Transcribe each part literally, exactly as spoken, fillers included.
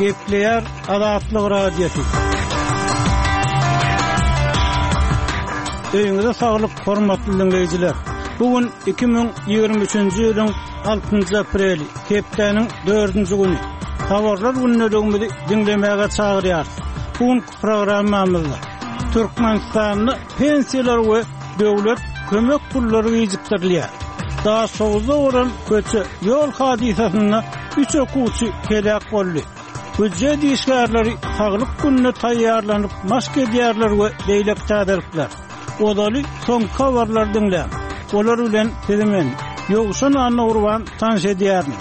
Gepleýär Azatlyk Radiosy. Öýüňize saglyk, hormatly diňleýjiler. Bu gün iki müň ýigrimi üçünji ýylyň altynjy apreli, hepdäniň dördünji güni. Habarlar gündeligimizi diňlemäge çagyrýarys. Bu günki programmamyzda Türkmenistanda pensiýalar we döwlet kömek pullary gijikdirilýär. Daşoguzda bolan köçe ýol hadysasynda üç okuwçy heläk boldy. Býujet işgärleri saglyk gününe taýýarlanyp maşk edýärler we beýleki täzelikler. Ozaly soňky habarlary diňläň. Olar bilen sizi men, Ýowşan Annagurban tanyş edýärin.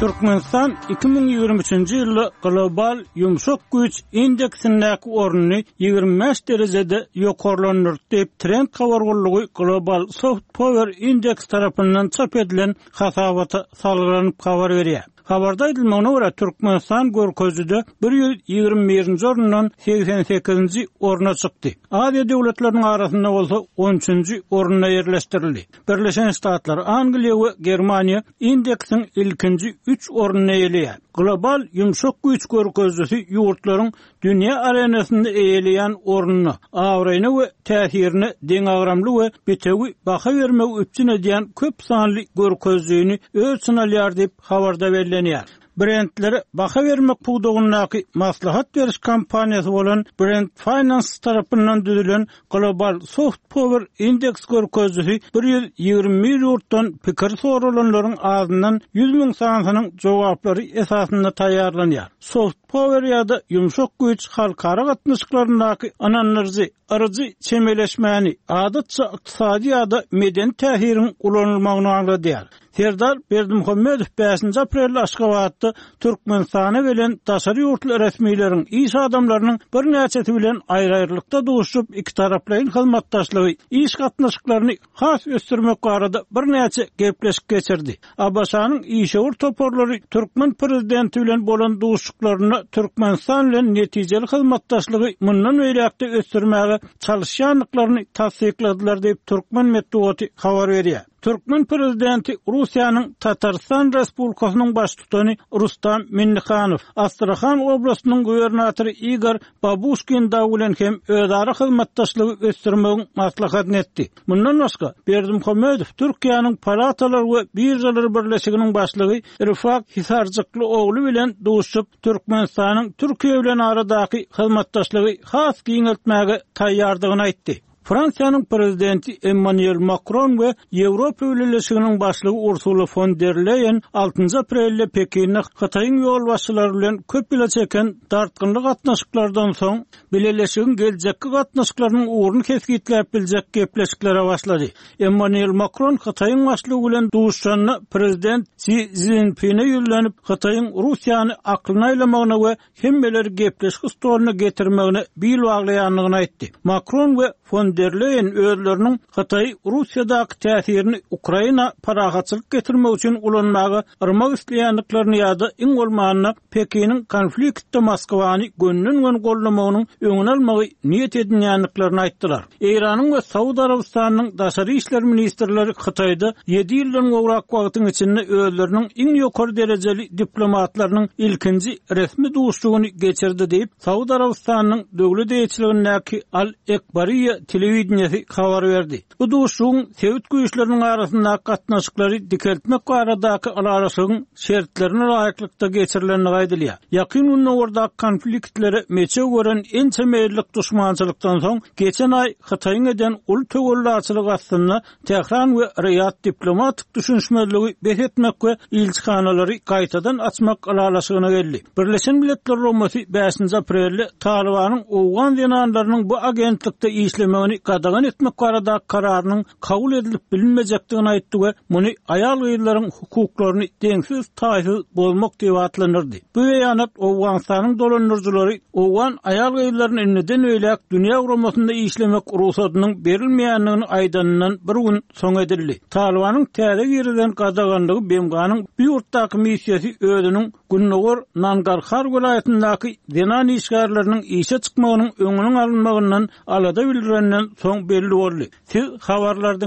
Türkmenistan iki müň ýigrimi üçünji ýylda global ýumşak güýç indeksindäki ornuny ýigrimi bäş derejede ýokarlandyrdy diýip, Trend habar gullugy Global Soft Power Index tarapyndan çap edilen hasabata salgylanyp habar berýär. Habarda aýdylmagyna görä, Türkmenistan görkezijide bir ýüz ýigrimi birinji orundan segsen sekizinji orna çykdy. Aziýa döwletleriniň arasynda bolsa on üçünji orunda ýerleşdirildi. Birleşen Ştatlar, Angliýa we Germaniýa indeksiň ilkinji üç ornuny eýeleýär. Global ýumşak güýç görkezijisi ýurtlaryň dünýä arenasynda eýeleýän ornuna, abraýyna we täsirine deňagramly we bitewi baha bermegi üpjün edýän köp sanly görkezijini öz içine alýar diýip, habarda bellenýär. Brendlere baha bermek pudagyndaky maslahat beriş kompaniýasy bolan Brand Finance tarapyndan düzülen Global Soft Power Index görkezijisi bir ýüz ýigrimi bir ýurtdan pikir soralanlaryň azyndan ýüz müň sanysynyň jogaplary esasynda taýýarlanýar. Soft Power ýa-da ýumşak güýç halkara gatnaşyklaryndaky ynandyryjy, yryjy çemeleşmäni, adatça ykdysady ýa-da medeni täsiriň ulanylmagyny aňladýar. Serdar Berdimuhamedow bäşinji aprelde Aşgabatda Türkmenistana gelen daşary ýurtly resmileriň, iş adamlarynyň birnäçesi bilen aýry-aýrylykda duşup, ikitaraplaýyn hyzmatdaşlygy, iş gatnaşyklaryny has ösdürmek barada birnäçe gepleşik geçirdi. A B Ş-nyň işewür toparlary türkmen prezidenti bilen bolan duşuşyklarynda Türkmenistan bilen netijeli hyzmatdaşlygy mundan beýläk-de ösdürmäge çalışýandyklaryny tassykladylar diýip türkmen metbugaty habar berýär. Türkmen prezidenti Russiýanyň Tatarstan Respublikasynyň baştutany Rustam Minnihanow, Astrahan oblastynyň gubernatory Igor Babuşkin dagy bilen hem özara hyzmatdaşlygy ösdürmegiň maslahatyny etdi. Mundan başga Berdimuhamedow Türkiýäniň Palatalar we Biržalar Birleşiginiň başlygy Rifat Hisarjykly ogly bilen duşup, Türkmenistanyň Türkiýe bilen aradaky hyzmatdaşlygy has giňeltmäge taýýardygyny aýtdy. Fransiýanyň prezidenti Emmanuel Macron we Ýewropa Bileleşiginiň başlygy Ursula von der Leyen altynjy aprelde Pekinde Hytaýyň ýolbaşçylary bilen köp ýyla çeken dartgynly gatnaşyklardan soň Bileleşigiň geljekki gatnaşyklarynyň ugruny kesgitläp biljek gepleşiklere başlady. Emmanuel Macron Hytaýyň başlygy bilen duşanda prezident Xi Jinping'e ýüzlenip, Hytaýyň Russiýany aklyna aýlamagyna we hemmeleri gepleşik stoluna getirmegine bil baglaýandygyny aýtdy. Macron we von der Leyen özleriniň Hytaý Russiýadaky täsirini Ukraina parahatçylyk getirmek üçin ulanmaga yrmak isleýändiklerini ýa-da iň bolmanda Pekiniň konfliktde Moskwany gönden-gön gollamagynyň öňüni almagy niýet edinýändiklerini aýtdylar. Eýranyň we Saud Arabystanynyň daşary işler ministrleri Hytaýda ýedi ýyldan gowrak wagtyň içinde özleriniň iň ýokary derejeli diplomatlarynyň ilkinji resmi duşuşygyny geçirdi diýip, Saud Arabystanynyň döwlet eýeçiligindäki Al-Ekbariýa telewideniýesi habar berdi. Bu duşuşygyň sebit güýçleriniň arasyndaky gatnaşyklary dikeltmek baradaky ylalaşygyň şertlerine laýyklykda geçirilendigi aýdylýar. Ýakyn Gündogardaky konfliktlere meçew gören ençeme ýyllyk duşmançylykdan soň geçen aý Hytaýyň eden uly töwellaçylyk astynda Tähran we Riýad diplomatik düşünişmezligi bes etmek we ilçihanalary gaýtadan açmak ylalaşygyna geldi. Birleşen Milletler Guramasy bäşinji aprelde Talibanyň Owgan zenanlarynyň bu agentlikde işlemegini gadagan etmek baradaky kararynyň kabul edilip bilinmejekdigini aýtdy we muny aýal-gyzlaryň hukuklaryny deňsiz taýsyz bozmak diýip atlandyrdy. Bu beýanat Owganystanyň dolandyryjylary Owgan aýal-gyzlaryny indiden beýläk dünýä guramasynda işlemek rugsadynyň berilmeýändigini aýdanyndan bir gün soň edildi. Talibanyň täze girilen gadaganlygy B M G-nyň bu ýurtdaky missiýasy özüniň Gündogar Nangarhar welaýatyndaky zenan işgärleriniň işe çykmagynyň öňüniň alynmagyndan alada bildirenden soň belli boldy. Siz habarlardan